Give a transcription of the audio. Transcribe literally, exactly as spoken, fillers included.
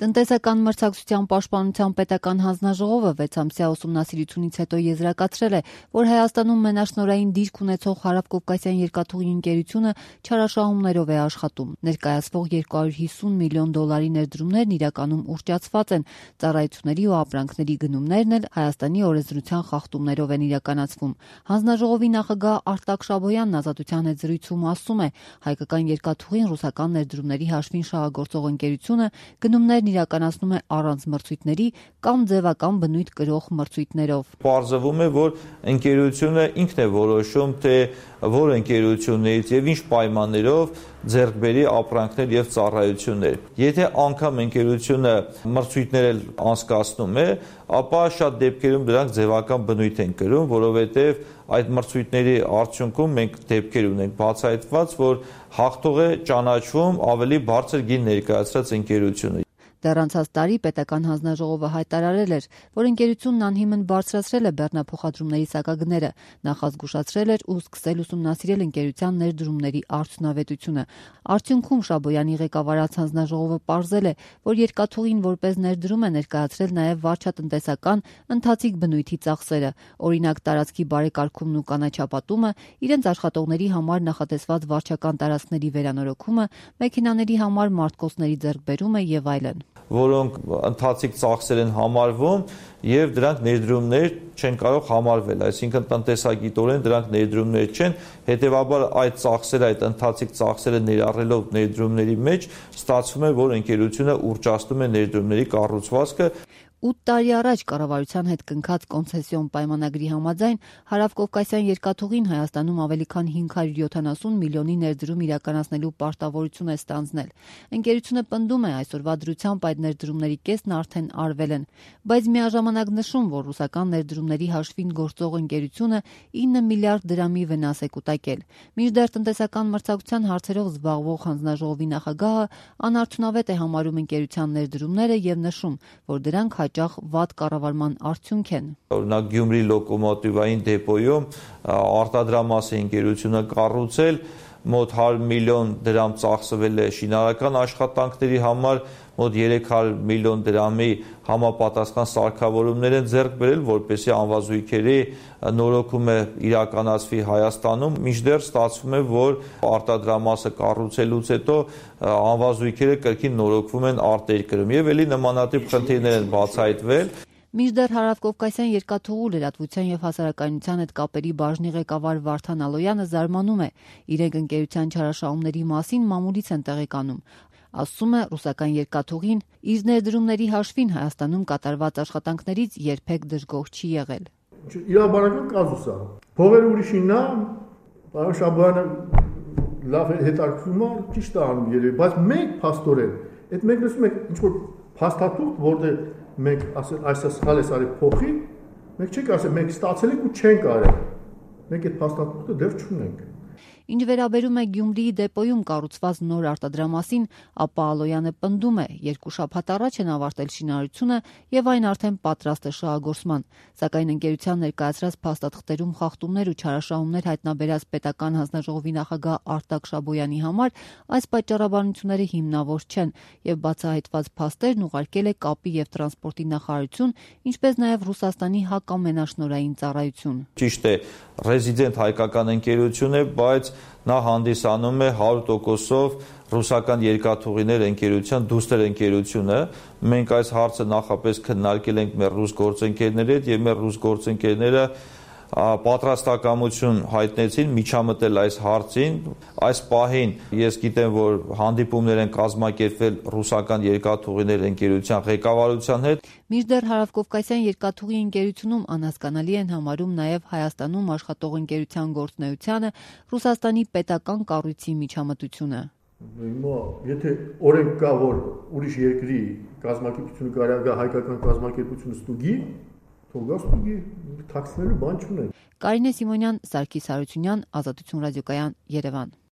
Տնտեսական մրցակցության պաշտպանության պետական հանձնաժողովը վեցամսյա ուսումնասիրությունից հետո եզրակացրել է, որ Հայաստանում մենաշնորհային դիրք ունեցող Հարավկովկասյան երկաթուղի ընկերությունը չարաշահումներով է աշխատում։ Ներկայացվող երկու հարյուր հիսուն միլիոն դոլարի ներդրումներն իրականում ուռճացված են, ծառայությունների ու ապրանքների գնումներն էլ Հայաստանի օրենսդրության խախտումներով են իրականացվում։ Հանձնաժողովի նախագահ Արտակ Շաբոյանն Ազատության հետ զրույցում ասում է, հայկական երկաթուղին ռուսական ներդրումների հաշվին շահագործող ընկերությունը գնումներն իրականացնում է առանց մրցույթների կամ ձևական բնույթ կրող մրցույթներով։ Պարզվում է, որ ընկերությունը ինքն է որոշում, թե որ ընկերություններից եւ ինչ պայմաններով ձեռք բերի ապրանքներ եւ ծառայություններ։ Եթե անգամ ընկերությունը մրցույթներ անցկացնում է, ապա շատ դեպքերում դրանք ձևական բնույթ են կրում, որովհետեւ այդ մրցույթների արդյունքում մենք դեպքեր ունենք բացահայտված, որ հաղթող է ճանաչվում ավելի բարձր գին ներկայացրած ընկերությունը։ Դեռ անցած տարի պետական հանձնաժողովը հայտարարել էր, որ ընկերությունն անհիմն բարձրացրել է բեռնափոխադրումների սակագները, նախազգուշացրել էր ու սկսել ուսումնասիրել ընկերության ներդրումների արդյունավետությունը։ Արդյունքում Շաբոյանի ղեկավարած հանձնաժողովը պարզել է, որ երկաթուղին որպես ներդրում է ներկայացրել նաև վարչատնտեսական ընթացիկ բնույթի ծախսերը, օրինակ տարածքի բարեկարգումն ու կանաչապատումը, իրենց աշխատողների համար նախատեսված վարչական տարածքների վերանորոգումը, մեքենաների համար մարտկոցների ձեռքբերումը եւ այլն, որոնք ընթացիկ ծախսեր են համարվում եւ դրանք ներդրումներ չեն կարող համարվել, այսինքն տնտեսագիտորեն դրանք ներդրումներ չեն, հետեւաբար այդ ծախսերը, այդ ընթացիկ ծախսերը ներառելով ներդրումների մեջ ստացվում է, որ ընկերությունը ուռճացնում է ներդրումների կառուցվածքը։ ութ տարի առաջ կառավարության հետ կնքած կոնցեսիոն պայմանագրի համաձայն Հարավկովկասյան երկաթուղին Հայաստանում ավելի քան հինգ հարյուր յոթանասուն միլիոնի ներդրում իրականացնելու պարտավորություն է ստանձնել։ Ընկերությունը պնդում է, այսօրվա դրությամբ այդ ներդրումների կեսն արդեն արվել են, բայց միաժամանակ նշում, որ ռուսական ներդրումների հաշվին գործող ընկերությունը ինը միլիարդ դրամի վնաս է կուտակել։ Մինչդեռ տնտեսական մրցակցության հարցերով զբաղվող հանձնաժողովի նախագահը անարդյունավետ է համարում ընկերության ներդրումները եւ նշում, որ դրանք հաճախ վատ կառավարման արդյունք են։ Օրինակ Գյումրի լոկոմոտիվային դեպոյում արտադրամասի ընկերությունը կառուցել, մոտ հարյուր միլիոն դրամ ծախսվել է շինարարական աշխատանքների համար, մոտ երեք հարյուր միլիոն դրամի համապատասխան սարքավորումներ են ձեռք բերել, որպեսզի անվազույգերի նորոգումը իրականացվի Հայաստանում, մինչդեռ ստացվում է, որ արտադրամասը կառուցելուց հետո անվազույգերը կրկին նորոգվում են արտերկրում եւ ելի նմանատիպ խնդիրներ են բացահայտվել։ Մինչդեռ Հարավկովկասյան երկաթուղու լրատվության եւ հասարակայնության հետ կապերի բաժնի ղեկավար Վարդան Ալոյանը զարմանում է, իրենք ընկերության չարաշահումների մասին մամուլից են տեղեկանում։ Ասում է, ռուսական երկաթուղին իր ներդրումների հաշվին Հայաստանում կատարված աշխատանքներից երբեք դժգոհ չի եղել։ Իրավաբանական կազուս է։ Փողերը ուրիշինն է, պարոն Շաբոյանը լավ հետաքրքրում է, ճիշտ է անում երևի, բայց մենք փաստորեն, այդ մենք լսում ենք ինչ որ փաստաթուղթ, որտեղ մենք ասել այս սխալ է արի փոխի, մենք չենք ասել մենք ստացել ենք ու չենք արել։ Մենք այդ փաստաթուղթը դեռ չունենք։ Ինչ վերաբերում է Գյումրիի դեպոյում կառուցված նոր արտադրամասին, ապա Ալոյանը պնդում է, երկու շաբաթ առաջ են ավարտել շինարարությունը եւ այն արդեն պատրաստ է շահագործման, սակայն ընկերության ներկայացրած փաստաթղթերում խախտումներ ու չարաշահումներ հայտնաբերած պետական հանձնաժողովի նախագահ Արտակ Շաբոյանի համար այս պատճառաբանությունները հիմնավոր չեն եւ բացահայտված փաստերն ուղարկել է կապի եւ տրանսպորտի նախարարություն, ինչպես նաեւ Ռուսաստանի հակամենաշնորհային ծառայություն։ Ճիշտ է, ռեզիդենտ հայկական ընկերություն է, բայց նա հանդիսանում է հարյուր տոկոսով ռուսական երկաթուղիներ ընկերության դուստր ընկերությունը։ Մենք այս հարցը նախապես քննարկել ենք մեր ռուս գործընկերների հետ եւ մեր ռուս գործընկերները պատրաստակամություն հայտնեցին միջամտել այս հարցին։ Այս պահին ես գիտեմ, որ հանդիպումներ են կազմակերպվել ռուսական երկաթուղիներ ընկերության ղեկավարության հետ։ Մինչդեռ Հարավկովկասյան երկաթուղի ընկերությունում անհասկանալի են համարում նաև Հայաստանում աշխատող ընկերության գործունեությանը Ռուսաստանի պետական կառույցի միջամտությունը։ Հիմա եթե օրենք կա, որ ուրիշ երկրի կազմակերպությունը կարա գա հայկական կազմակերպությունը ստուգի, թող գա ստուգի, թաքցնելու բան չունեն։ Կարինե Սիմոնյան, Սարգիս Հարությունյան, Ազատություն ռադիոկայան, Երևան։